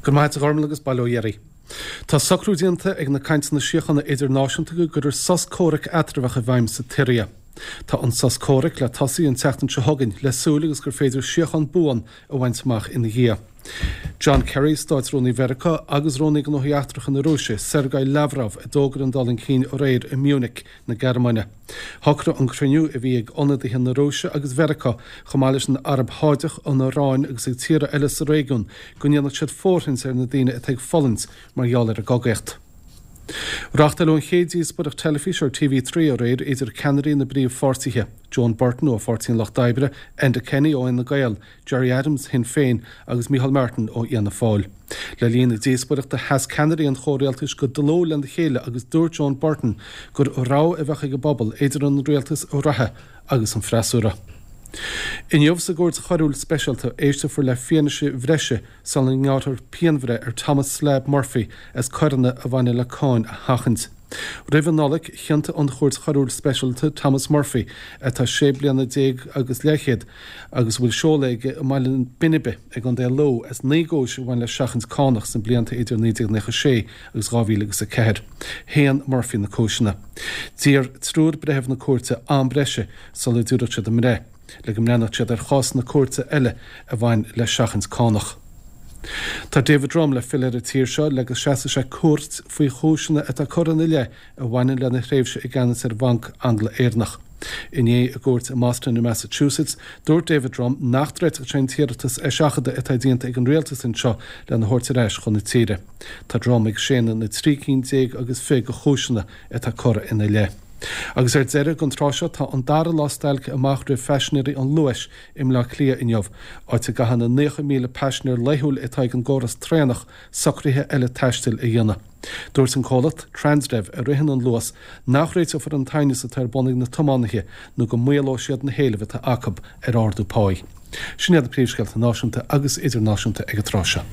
Go raibh maith agat a Ghormlaith agus bail ó Dhia oraibh. Tá socrú déanta ag na cainteanna síochána idirnáisiúnta go gcuirfear sos comhraic eatramhach i bhfeidhm sa tSiria. Tá an sos comhraic le tosaí an tseachtain seo chugainn, le súil agus gur féidir síocháin buan a bhaint amach ina dhiaidh. John Kerry, Státrúnaí Mheiriceá, agus Rúnaí Gnóthaí Eachtracha na Rúise, Sergei Lavrov, a d'fhógair an dul chun cinn aréir i Munich na Gearmáine. Shocraigh an cruinniú, a bhí ag ionadaithe na Rúise agus Mheiriceá, chomh maith leis an Araib Sháideach, an Iaráin agus ag tíortha eile sa réigiún, go ndéanfadh siad fóirithint ar na daoine atá ag fulaingt mar gheall ar an gcogaíocht. Reáchtáileadh an chéad díospóireacht teilifíse ar TV3 aréir idir ceannairí na bpríomhpháirtithe, Joan Burton ó Pháirtí an Lucht Oibre, Enda Kenny ó Fhine Gael, Gerry Adams, Shinn Féin, agus Micheál Martin ó Fhianna Fáil. Le linn na díospóireachta sheas ceannairí an chomhrialtais go dlúth lena chéile agus dúirt Joan Burton gur rogha a bheadh ag an bpobal idir an rialtas reatha agus an freasúra. Inniu sa gCúirt Choiriúil Speisialta éisteofar le fianaise bhreise sula ngearrfar pianbhreith ar Thomas Slab Murphy as coireanna a bhaineann le cáin a sheachaint. Roimh an Nollaig, chiontaigh an Chúirt Choiriúil Speisialta Thomas Murphy, atá sé bliana déag agus leathchéad agus a bhfuil seoladh aige i mBaile Bhinibe i gContae Lú, as 9 gcúis a bhain le seachaint cánach sna blianta idir 1996 agus 2004. Shéan Murphy na cúiseanna. D'iarr triúr breitheamh na cúirte am breise sula dtabharfadh siad a mbreith. le go mbreathnódh siad ar chásanna cúirte eile a bhain le seachaint cánach. Tá David Drumm le filleadh ar an tír seo le go seasfaidh sé cúirt faoi chúiseanna atá curtha ina leith a bhaineann lena thréimhse i gceannas ar Bhanc Angla-Éireannach. Inné i gcúirt i mBoston i Massachusetts, dúirt David Drumm nach dtroidfeadh sé an t-iarratas eiseachadta atá déanta ag an rialtas anseo lena thabhairt ar ais chun na tíre. Tá Drumm ag séanadh na 13 cinn agus 20 de chúiseanna atá curtha ina leith. Agus ar deireadh, don tráth seo, tá an dara lá stailce amach roimh phaisinéirí an Luais i mBleá Cliath inniu, áit a gcaitheann na 90,000 paisinéir laethúil atá ag an gcóras traenach socruithe eile taistil a dhéanamh. Dúirt an comhlacht, Transdev, a ritheann an Luas, nach réiteofar an t-aighneas atá ar bun ag na tiománaithe nó go maolóidh siad na héilimh atá acu ar ardú páí. Sin iad na príomhscéalta náisiúnta agus idirnáisiúnta ag an tráth seo.